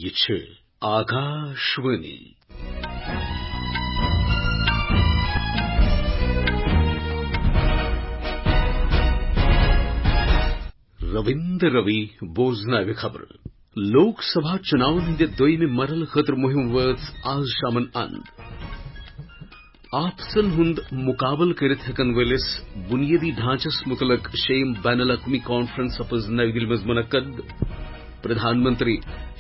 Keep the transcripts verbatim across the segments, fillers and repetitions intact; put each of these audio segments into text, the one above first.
یہِ چھِ آکاشوانی۔ رٔوِندر روی بوزناوِ خبرٕ۔ لوک سبھا چُناون ہٕنٛدِ دوٚیمہِ مرحلہٕ خٲطرٕ مُہِم وٲژ آز شامن اند۔ آپسن ہُنٛد مُقابلہٕ کٔرِتھ ہٮ۪کن وٲلِس بُنیٲدی ڈھانچس مُتعلق شیٚیِم بین الاقوٲمی کانفرنس سپٕز نَوِ دِلہِ منٛز مُنعقد۔ پرٛدھان منتری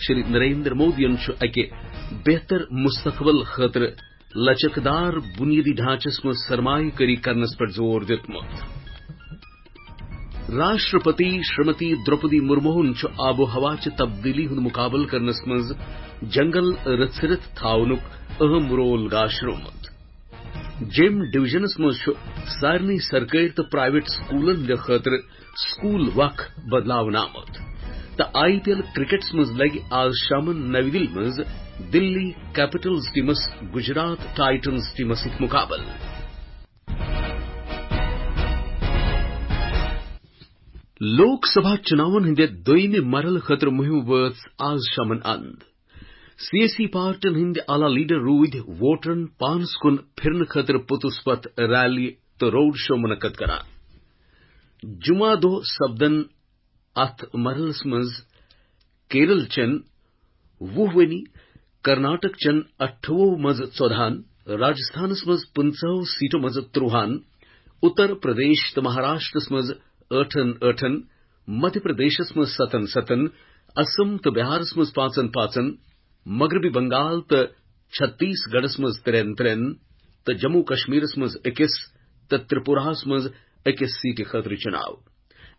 شری نریندر مودیَن چھُ اَکہِ بہتر مستقبل خٲطرٕ لچکدار بُنیٲدی ڈھانچس منٛز سرمایہ کٲری کرنس پٮ۪ٹھ زور دیُتمُت۔ راشٹرپتی شریمتی دروپدی مرموہن چھُ آب و ہوا چہِ تبدیلی ہُنٛد مُقابلہٕ کرنس منٛز جنگل رژھرِتھ تھاونُک اہم رول گاشرومُت۔ جیم ڈویژنس منٛز چھُ سارنٕے سرکٲرۍ تہٕ پرائیویٹ سکوٗلن ہٕنٛدِ خٲطرٕ سکوٗل وق بدلاونہٕ آمُت۔ تہٕ آئی پی ایل کرکٹس منٛز لگہِ آز شامن نَوِ دِلہِ منٛز دِلی کیپٹلز ٹیمس گجرات ٹائٹنز ٹیمس سۭتۍ مُقابلہٕ۔ لوک سبھا چُناون ہٕنٛدِ دوٚیمہِ مرحلہٕ خٲطرٕ مُہِم وٲژ آز شامن اند۔ سیٲسی پارٹین ہٕنٛدۍ اعلیٰ لیڈر روٗدۍ ووٹرن پانس کُن پھِرنہٕ خٲطرٕ پوٚتُس پتھ ریلی تہٕ روڈ شو مُنعقد کران۔ جمعہ دۄہ سپدن اتھ مرحلس منٛز کیرل چٮ۪ن وُہ ؤنی، کرناٹک چٮ۪ن اَٹھووُہ منٛز ژۄدہَن، راجستھانس منٛز پٕنٛژٕہو سیٹو منٛز ترٛوہَن، اتر پردیش تہٕ مہاراشٹرس منٛز ٲٹھن ٲٹھن، مدھیہ پردیشس منٛز ستن ستن، اسم تہٕ بہارس منٛز پانٛژن پانٛژن، مغربی بنگال تہٕ چھتیس گڑھس منٛز ترٛٮ۪ن ترٛٮ۪ن تہٕ جموں کشمیرس منٛز أکِس تہٕ ترٛپوراہس منٛز أکِس سیٹہِ خٲطرٕ چُناو۔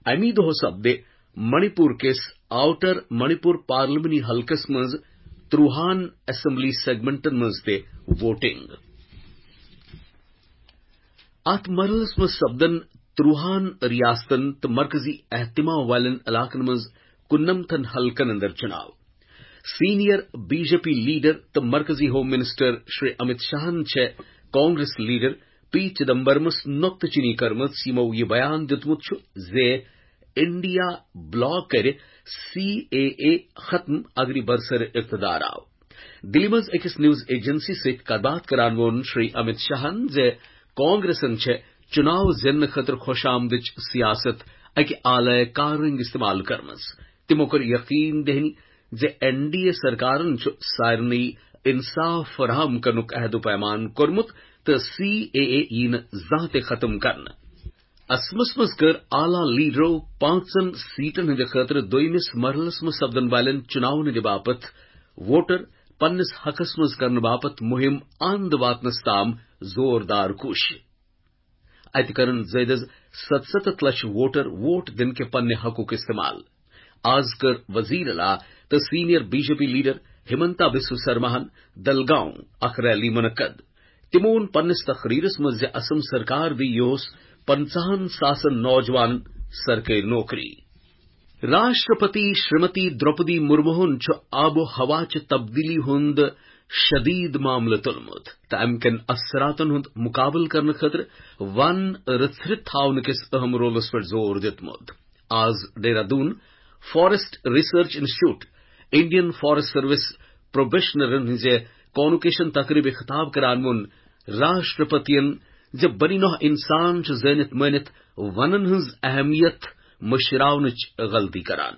اَمی دۄہ سپدِ منی پور کِس آوٹر منی پور پارلیمانی حلقس منٛز ترٛوہَن اسمبلی سیگمنٹن منٛز تہِ ووٹنگ۔ اتھ مرحلس منٛز سپدن ترٛوہَن ریاستن تہٕ مرکزی اہتمام والٮ۪ن علاقن منٛز کُننمتھن حلقن اندر چُناو۔ Senior B J P leader تہٕ مرکزی ہوم منسٹر شری امت شاہن چھےٚ کانگریس لیڈر پی چدمبرمس نۄقطہٕ چینی کٔرمٕژ، یِمو یہِ بیان دیُتمُت چھُ زِ انڈیا بلاک کرِ سی اے اے ختم اگرِ برسر اقتدار آو۔ دِلہِ منٛز أکِس نیوز ایجنسی سۭتۍ کتھ باتھ کران ووٚن شری امت شاہن زِ کانگریسن چھےٚ چُناو زیننہٕ خٲطرٕ خۄش آمدٕچ سیاست اکہِ اعلی کاررنگ استعمال کٔرمٕژ۔ تِمو کٔر یقین دہانی زِ این ڈی اے سرکارن چھُ سارنٕے انصاف فراہم کرنُک عہد و پیمان کوٚرمُت تہٕ سی اے اے یِیہِ نہٕ زانٛہہ تہِ ختم کرنہٕ۔ اسمس منٛز کٔر اعلیٰ لیڈرو پانٛژن سیٹن ہٕنٛدِ خٲطرٕ دوٚیمِس مرحلس منٛز سپدن والٮ۪ن چُناون ہٕنٛدِ باپتھ ووٹر پننِس حقس منٛز کرنہٕ باپتھ مُہِم اند واتنس تام زوردار کوٗشش۔ اتہِ کرن زٲیدٕ از ستستھ لچھ ووٹر ووٹ دِنہٕ کہِ پننہِ حقُک استعمال۔ آز کٔر وزیر اعلیٰ تہٕ senior B J P leader Himanta Biswa سرماہن دلگاؤں اکھ ریلی منعقد۔ تِمو ووٚن پننِس تقریرس منٛز زِ اسم سرکار دِیہِ یِہُس پنژاہن ساسن نوجوانن سرکٲرۍ نوکری۔ راشٹرپتی شریمتی دروپدی مرموہن چھُ آب و ہوا چہِ تبدیلی ہُنٛد شدید معاملہٕ تُلمُت تہٕ امہِ کٮ۪ن اثراتن ہُنٛد مُقابلہٕ کرنہٕ خٲطرٕ ون رژھرِتھ تھاونہٕ کِس اہم رولس پٮ۪ٹھ زور دیُتمُت۔ آز Dehradun forest research institute, Indian forest service پروبیشنرن ہٕنٛزِ کانوکیشن تقریبہِ خطاب کران ووٚن راشٹرپتین زِ بنی نوع انسان چھُ زٲنِتھ مٲنِتھ ونن ہٕنٛز اہمیت مٔشراونٕچ غلطی کران۔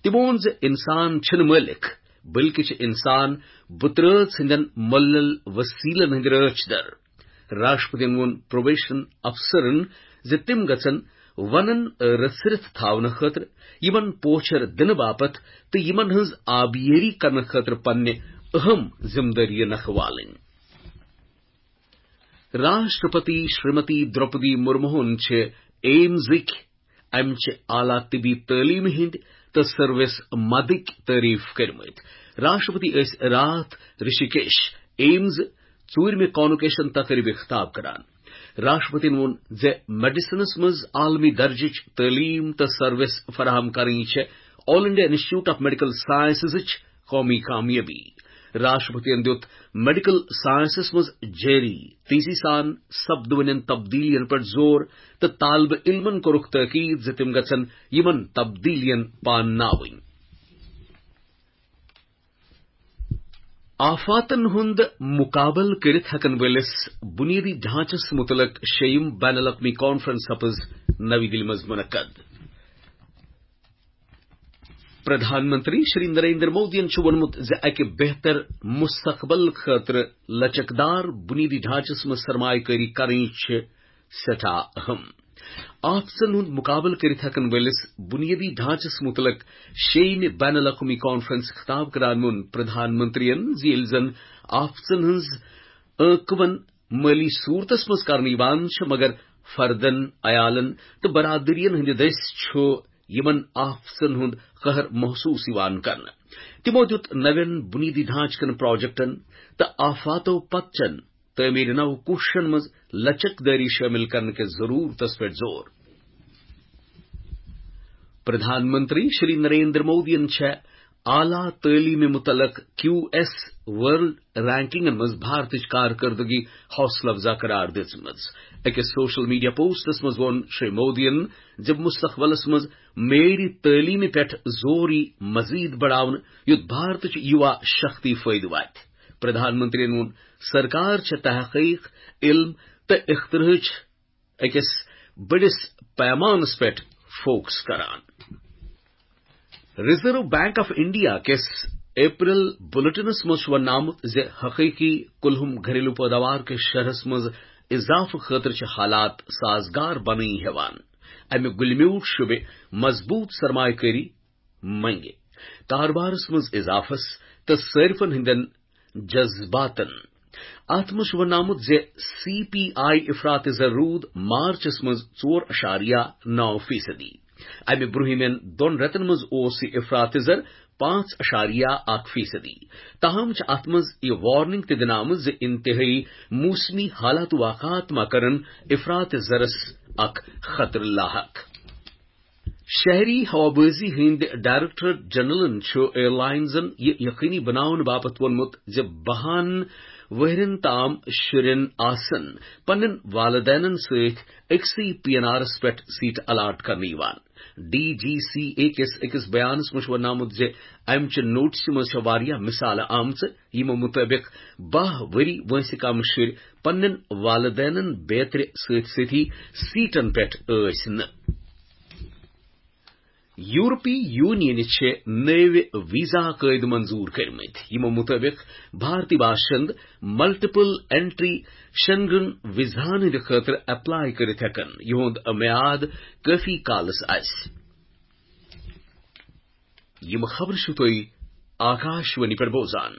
تِمو ووٚن زِ انسان چھِنہٕ مٲلِک، بلکہِ چھِ انسان بُترٲژ ہٕنٛدٮ۪ن مۄلل وسیلن ہٕنٛدۍ رٲچھ در۔ راشٹرپتین ووٚن پروبیشن افسرن زِ تِم گژھن ونن رژھرِتھ تھاونہٕ خٲطرٕ، یِمن پوچھر دِنہٕ باپتھ تہٕ یِمن ہٕنٛز آبیٲری کرنہٕ خٲطرٕ پننہِ اہم ذمہٕ دٲری نکھٕ والٕنۍ۔ راشٹرپتی شریمتی دروپدی مرموہن چھِ ایمزٕکۍ امہِ چہِ اعلیٰ طبی تعلیمہِ ہٕنٛدۍ تہٕ سروس مدٕکۍ تعریف کٔرمٕتۍ۔ راشٹرپتی ٲسۍ راتھ رشیکیش ایمز ژوٗرمہِ کانوکیشن تقریبہِ خطاب کران۔ راشٹرپتین ووٚن زِ میڈیسنس منٛز عالمی درجٕچ تعلیٖم تہٕ سروس فراہم کرٕنۍ چھےٚ آل انڈیا انسٹیٹیوٹ آف میڈیکل سائنسزٕچ قومی کامیٲبی۔ راشٹرپتین دیُت میڈیکل سائنسس منٛز جٲری تیزی سان سپدوٕنٮ۪ن تبدیلیَن پٮ۪ٹھ زور تہٕ طالب علمن کوٚرُکھ تٲکید زِ تِم گژھن یِمن تبدیلیَن پانناوٕنۍ۔ آفاتن ہُنٛد مُقابلہٕ کٔرِتھ ہٮ۪کن وٲلِس بُنیٲدی ڈھانچس مُتعلق شیٚیِم بین الاقوٲمی کانفرنس سپٕز نَوِ دِلہِ منٛز مُنعقد۔ پردھان منتری شری نریندر مودیَن چھُ ووٚنمُت زِ اَکہِ بہتر مستقبل خٲطرٕ لچکدار بُنیٲدی ڈھانچس منٛز سرمایہ کٲری کرٕنۍ چھِ سٮ۪ٹھاہ اہم۔ آفتن ہُنٛد مُقابلہٕ کٔرِتھ ہٮ۪کن وٲلِس بُنیٲدی ڈھانچس مُتعلق شیٚیِمہِ بین الاقوٲمی کانفرنس خطاب کران ووٚن پردھان منترین زِ ییٚلہِ زن آفتن ہٕنٛز عٲقبن مٲلی صوٗرتس منٛز کرنہٕ یِوان چھِ، مگر فردن، عیالن تہٕ برادرین ہٕنٛدِ دٔسۍ چھُ یِمن آفتن ہُنٛد قہر محسوٗس یِوان کرنہٕ۔ تِمو دیُت نوٮ۪ن بُنیٲدی ڈھانچہٕ کٮ۪ن پروجیکٹن تہٕ آفاتو پتہٕ چٮ۪ن تعمیٖر نو کوٗششن منٛز لچک دٲری شٲمِل کرنہٕ کِس ضروٗرتس پٮ۪ٹھ زور۔ پردھان منتری شری نریندر مودیَن چھےٚ اعلیٰ تعلیمہِ مُتعلق کیو ایس ورلڈ رینکنگن منٛز بھارتٕچ کارکردگی حوصلہٕ افزا قرار دِژمٕژ۔ أکِس سوشل میڈیا پوسٹس منٛز ووٚن شری مودیَن زِ مستقبلس منٛز معیٲری تعلیمہِ پٮ۪ٹھ زور یی مزید بڑاونہٕ، یُتھ بھارتٕچ یُوا شکتی فٲیدٕ واتہِ۔ پردھان منتریَن ووٚن، سرکار چھےٚ تحقیق، علم تہٕ اختراعٕچ أکِس بٔڑِس پیمانس پٮ۪ٹھ فوکس کران۔ ریزرو بینک آف انڈیا کِس اپریل بلیٹنس منٛز چھُ وننہٕ آمُت زِ حقیقی کُلہُم گھریلو پیداوار کِس شرحس منٛز اضافہٕ خٲطرٕ چھِ حالات سازگار بنٲنی ہٮ۪وان۔ امہِ گُلہِ میوٗٹھ شعبہِ مضبوط سرمایہ کٲری منگہِ، کاربارس منٛز اضافس تہٕ صٲرفن ہٕنٛدٮ۪ن جذباتن۔ اتھ منٛز چھُ وننہٕ آمُت زِ سی پی آئی افراط زر روٗد مارچس منٛز ژور اعشاریہ نو فیصدی۔ امہِ برٛونٛہمٮ۪ن دۄن رٮ۪تن منٛز اوس یہِ افراط زر پانٛژھ اعشاریہ اکھ فیصدی۔ تاہم چھِ اتھ منٛز یہِ وارننگ تہِ دِنہٕ آمٕژ زِ انتہٲئی موسمی حالات واقعات ما کرن افراط زرس اکھ خطرٕ لاحق۔ شہری ہوابازی ہٕنٛدۍ ڈائریکٹر جنرلن چھُ ایئرلائنزن یہِ یقینی بناونہٕ باپتھ ووٚنمُت زِ بَہَن ؤہرٮ۪ن تام شُرٮ۪ن آسن پننٮ۪ن والدینن سۭتۍ أکسٕے پی این آرس پٮ۪ٹھ سیٹ الاٹ کرنہٕ یِوان۔ ڈی جی سی اے کِس أکِس بیانس منٛز چھُ وننہٕ آمُت زِ امہِ چہِ نوٹسہِ منٛز چھےٚ واریاہ مثالہٕ آمژٕ، یِمو مُطٲبِق باہ ؤری وٲنٛسہِ کم شُرۍ پننٮ۪ن والدینن بیترِ سۭتۍ سۭتی سیٹن پٮ۪ٹھ ٲسۍ نہٕ۔ یورپی یونین چھِ نٔوۍ ویزا قٲیدٕ منظور کٔرمٕتۍ، یِمو مُطٲبِق بھارتی باشند ملٹیپل انٹری شنگن ویزاہن ہٕنٛدِ خٲطرٕ اپلائی کٔرِتھ ہٮ۪کن، یِہُنٛد میعاد کٲفی کالس آسہِ۔ یِم خبرٕ چھِو تُہۍ آکاشوانی پٮ۪ٹھ بوزان۔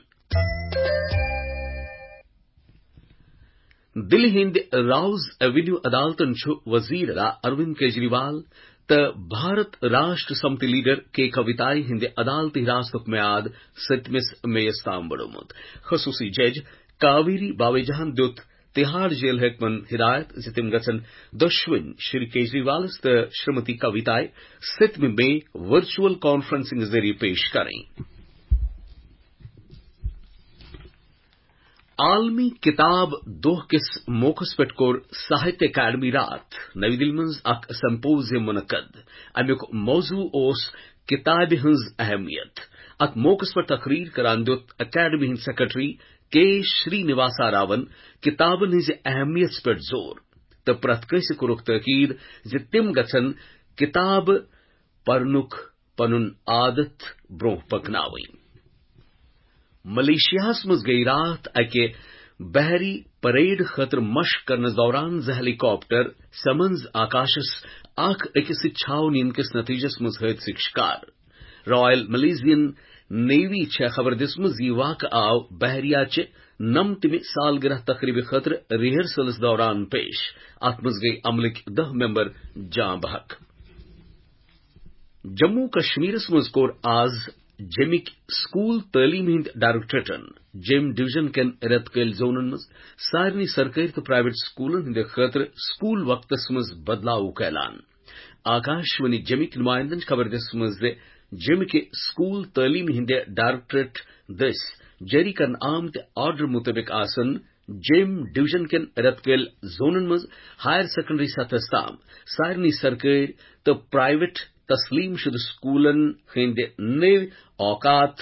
دِلہِ ہٕنٛدِ راوز ایونیو عدالتَن چھُ وزیر اعلیٰ اروند کیجریوال تہٕ بھارت راشٹر سمتی لیڈر کے کویتایہِ ہٕنٛدِ عدالتی حراستُک میعاد سٔتمِس مئیس تام بڑومُت۔ خصوصی جج کاویری باویجاہَن دیُت تہاڑ جیل حٲکمَن ہدایت زِ تِم گژھن دۄشوٕنۍ شری کیجریوالَس تہٕ شریمتی کویتایہِ سٔتمہِ مئی ورچوئل کانفرنسنگ ذٔریعہٕ پیش کرٕنۍ۔ عالمی کتاب دۄہ کِس موقعس پٮ۪ٹھ کوٚر ساہتیہ اکیڈمی راتھ نئی دِلہِ منٛز اکھ سمپوزیم منعقد۔ امیُک موضوع اوس کتابہِ ہٕنٛز اہمیت۔ اتھ موقعس پٮ۪ٹھ تقریر کران دیُت اکیڈمی ہٕنٛدۍ سیکرٹری کے شری نواسا راون کتابن ہٕنٛزِ اہمیتس پٮ۪ٹھ زور تہٕ پرٛٮ۪تھ کٲنٛسہِ کوٚرُکھ تاکید زِ تِم گژھن کتابہٕ پرنُک پنُن عادت برونٛہہ پکناوٕنۍ۔ ملیشیاہس منٛز گٔیہِ راتھ اکہِ بحری پریڈ خٲطرٕ مشق کرنس دوران زٕ ہیلی کاپٹر سمنز آکاشس اکھ أکِس سۭتۍ چھاونہٕ یِنہٕ کِس نتیجس منٛز حٲدثٕک شکار۔ رائل ملیزین نیوی چھےٚ خبر دِژمٕژ، یہِ واقعہٕ آو بحریہ چہِ نمتمہِ سالگرہ تقریبہِ خٲطرٕ ریہرسلس دوران پیش۔ اتھ منٛز گٔیہِ عملٕکۍ دَہ ممبر جاں بحق۔ جموں کشمیرس منٛز کوٚر آز جیمٕکۍ سکول تعلیٖم ہٕنٛدۍ ڈائریکٹوریٹن جیم ڈویژن کٮ۪ن رٮ۪تہٕ کٲلۍ زونن منٛز سارنٕے سرکٲرۍ تہٕ پرائیویٹ سکولن ہٕنٛدِ خٲطرٕ سکول وقتس منٛز بدلاوُک اعلان۔ آکاشوانی جیمٕکۍ نمائندن چھِ خبر دِژمٕژ زِ جیمٕکۍ سکول تعلیٖم ہٕنٛدِ ڈائریکٹوریٹ دٔسۍ جٲری کرنہٕ آمتہِ آرڈر مُطٲبِق آسن جیم ڈویژن کٮ۪ن رٮ۪تہٕ کٲلۍ زونن منٛز ہائر سیکنڈری سطحس تام سارنٕے سرکٲرۍ تہٕ پرائیویٹ تسلیٖم شُدٕ سکولن ہٕنٛدۍ نٔوۍ اوقات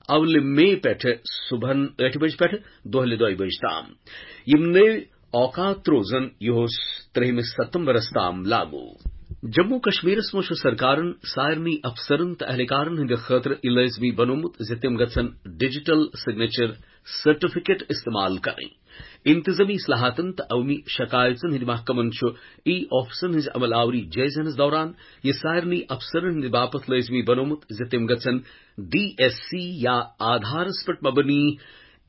اولہِ مئی پٮ۪ٹھٕ صبحن ٲٹھِ بجہِ پٮ۪ٹھٕ دۄہلہِ دۄیہِ بجہِ تام۔ یِم نٔوۍ اوقات روزن یِہُس ترٛہمہِ ستمبرس تام لاگو۔ جموں کشمیرس منٛز چھُ سرکارن سارنٕے افسرن تہٕ اہلکارن ہٕنٛدِ خٲطرٕ یہِ لٲزمی بنوومُت زِ تِم گژھن ڈیجیٹل سگنیچر سرٹیفکیٹ استعمال کرٕنۍ۔ انتظامی اصلاحاتن تہٕ عوٲمی شکایژن ہٕنٛدِ محکمن چھُ ای آفسن ہٕنٛزِ عمل آوری جٲیزٕ ہینس دوران یہِ سارنٕے افسرن ہٕنٛدِ باپتھ لٲزمی بنوومُت زِ تِم گژھن ڈی ایس سی یا آدھارس پٮ۪ٹھ مبنی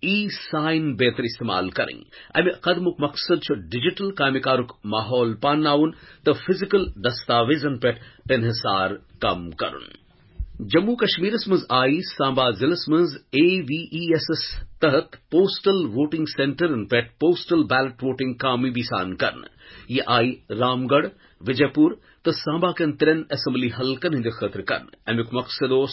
ای سائن بیتر استعمال کرٕنۍ۔ امہِ قدمُک مقصد چھُ ڈیجیٹل کامہِ کارُک ماحول پانناوُن تہٕ فزیکل دستاویزن پٮ۪ٹھ انحصار کم کرُن۔ جموں کشمیرس منٛز آیہِ سامبا ضلعس منٛز اے وی ای ایسس تحت پوسٹل ووٹنگ سینٹرن پٮ۪ٹھ پوسٹل بیلٹ ووٹنگ کامیٲبی سان کرنہٕ۔ یہِ آیہِ رام گڑھ، وجے پور تہٕ سامبا کٮ۪ن ترٛٮ۪ن اسمبلی حلقن ہٕنٛدِ خٲطرٕ کرنہٕ۔ امیُک مقصد اوس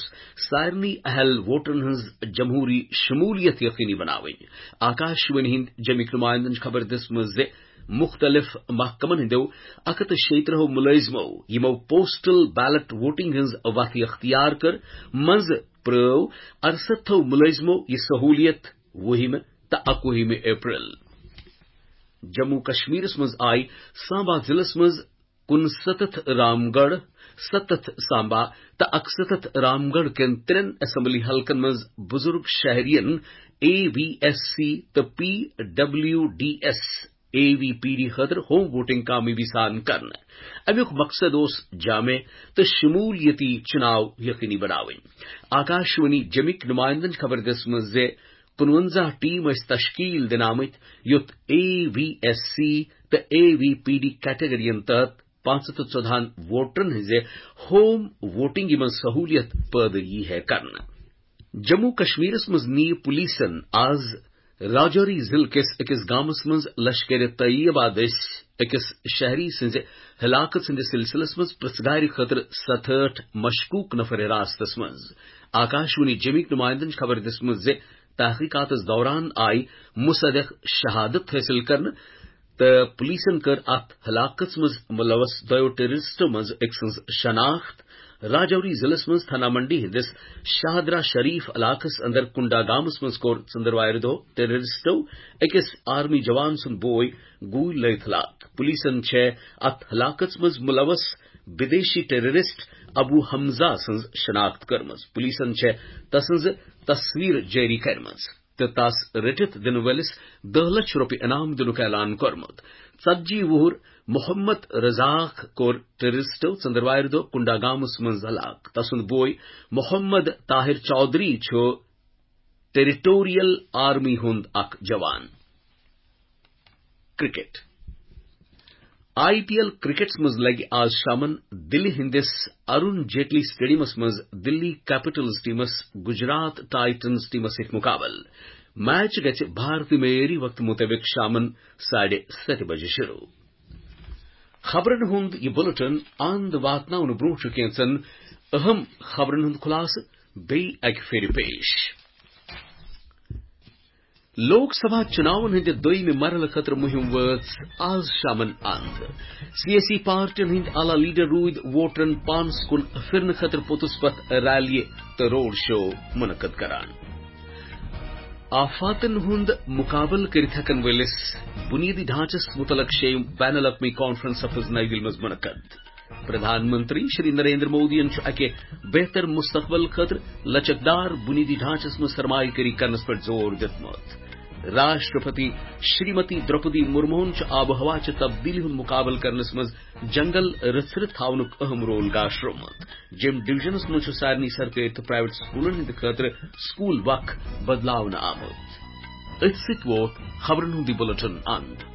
سارنٕے اہل ووٹرن ہٕنٛز جمہوری شمولیت یقینی بناوٕنۍ۔ آکاشوانی ہٕنٛدۍ جمِکۍ نمائندن چھِ خبر دِژمٕژ زِ مُختٔلِف محکمن ہٕنٛدیو اَکھ ہَتھ تہٕ شیٚیہِ ترٛہو مُلٲزمو، یِمو پوسٹل بیلٹ ووٹنگ ہٕنٛز وَتھ اختیار کٔر، منٛزٕ پرٛٲو اَرسَتتھو مُلٲزمو یہِ سہوٗلیت وُہِمہِ تہٕ اَکوُہِمہِ اپریل۔ جموں کشمیرس منٛز آیہِ سامبا ضلعس منٛز کُنسَتتھ رام گڑھ، سَتتھ سامبا تہٕ اَکسَتتھ رام گڑھ کٮ۪ن ترٛٮ۪ن اسمبلی حلقن منٛز بُزرگ شہرین اے وی ایس سی تہٕ P W D S A V P D خٲطرٕ ہوم ووٹنگ کامیٲبی سان کرنہٕ۔ امیُک مقصد اوس جامع تہٕ شمولیتی چُناو یقینی بناوٕنۍ۔ آکاشوانی جمِکۍ نمائندن چھِ خبر دِژمٕژ زِ کُنوَنزاہ ٹیم ٲسۍ تشکیل دِنہٕ آمٕتۍ، یُتھ اے وی ایس سی تہٕ اے وی پی ڈی کیٹیگرین تحت پانٛژھ ہَتھ تہٕ ژۄدہَن ووٹرن ہٕنٛزِ ہوم ووٹنگہِ منٛز سہولیت پٲدٕ یی ہے کرنہٕ۔ جموں کشمیرس منٛز نی پولیسن آز راجوری ضلعہٕ کِس أکِس گامس منٛز لشکر طیبہ دٔسۍ أکِس شہری سٕنٛزِ ہلاکت سٕنٛدِس سلسلس منٛز پرژھگارِ خٲطرٕ ستہٲٹھ مشکوک نفر حراستس منٛز۔ آکاشوانی جمِکۍ نمائندن چھِ خبر دِژمٕژ زِ تحقیقاتس دوران آیہِ مصدق شہادت حٲصِل کرنہٕ تہٕ پولیسن کٔر اتھ ہلاکتس منٛز ملوث دۄیو ٹیررسٹو منٛز أکۍ سٕنٛز شناخت۔ راجوری ضلعس منٛز تھانہ منڈی ہٕنٛدِس شاہدرہ شریف علاقس اندر کنڈا گامس منٛز کوٚر ژٔندٕروارِ دۄہ ٹیررسٹو أکِس آرمی جوان سُنٛد بوے گوٗلۍ لٲگِتھ ہلاک۔ پولیسن چھےٚ اتھ ہلاکتس منٛز ملوث بدیشی ٹیررسٹ ابو حمزہ سٕنٛز شناخت کٔرمٕژ۔ پولیسن چھےٚ تسٕنٛز تصویر جٲری کٔرمٕژ تہٕ تس رٔٹِتھ دِنہٕ وٲلِس دَہ لچھ رۄپیہِ انعام دِنُک اعلان کوٚرمُت۔ ژتجی وُہُر محمد رزاق کوٚر ٹیررسٹو ژٔندٕروارِ دۄہ کنڈا گامس منٛز ہلاک۔ تسُنٛد بوے محمد طاہر چودھری چھُ ٹیریٹوریل آرمی ہُنٛد اکھ جوان۔ کرکٹ۔ آئی پی ایل کرکٹس منٛز لگہِ آز شامن دِلہِ ہٕنٛدِس ارون جیٹلی سٹیڈیمس منٛز دِلی کیپٹلز ٹیمس گجرات ٹائٹنز ٹیمس سۭتۍ مقابلہٕ۔ میچ گژھِ بھارتی معیٲری وقتہٕ مُطٲبِق شامن ساڑِ ستہِ بجہِ شروع۔ خبرن ہُنٛد یہِ بُلٹن اند واتناونہٕ برٛونٛہہ چھُ کینٛژن اہم خبرن ہُنٛد خلاصہٕ بیٚیہِ اکہِ پھِرِ پیش۔ لوک سبھا چُناون ہٕنٛدِ دوٚیمہِ مرحلہٕ خٲطرٕ مُہِم وٲژ آز شامن اند۔ سیٲسی پارٹین ہٕنٛدۍ اعلیٰ لیڈر روٗدۍ ووٹرن پانس کُن پھِرنہٕ خٲطرٕ پوٚتُس پتھ ریلیہِ تہٕ روڈ شو منعقد کران۔ آفاتن ہُنٛد مُقابلہٕ کٔرِتھ ہٮ۪کن وٲلِس بُنیٲدی ڈھانچس مُتعلق شیٚیِم بین الاقوٲمی کانفرنس سپٕز نَیہِ دِلہِ منٛز منعقد۔ پردھان منتری شری نریندر مودیَن چھُ اکہِ بہتر مستقبل خٲطرٕ لچکدار بُنیٲدی ڈھانچس منٛز سرمایہ کٲری کرنس پٮ۪ٹھ زور دِیُتمُت۔ راشٹرپتی شریمتی دروپدی مرموہن چھُ آب و ہوا چہِ تبدیلی ہُنٛد مُقابلہٕ کرنس منٛز جنگل رژھرِ تھاونُک اہم رول گاشرومُت۔ جیٚمۍ ڈویژنس منٛز چھُ سارنٕے سرکٲرۍ تہٕ پرائیویٹ سکولن ہٕنٛدِ خٲطرٕ سکول وق بدلاونہٕ آمُت۔ أتھۍ سۭتۍ ووت خبرن ہُنٛد یہِ بُلٹن اند۔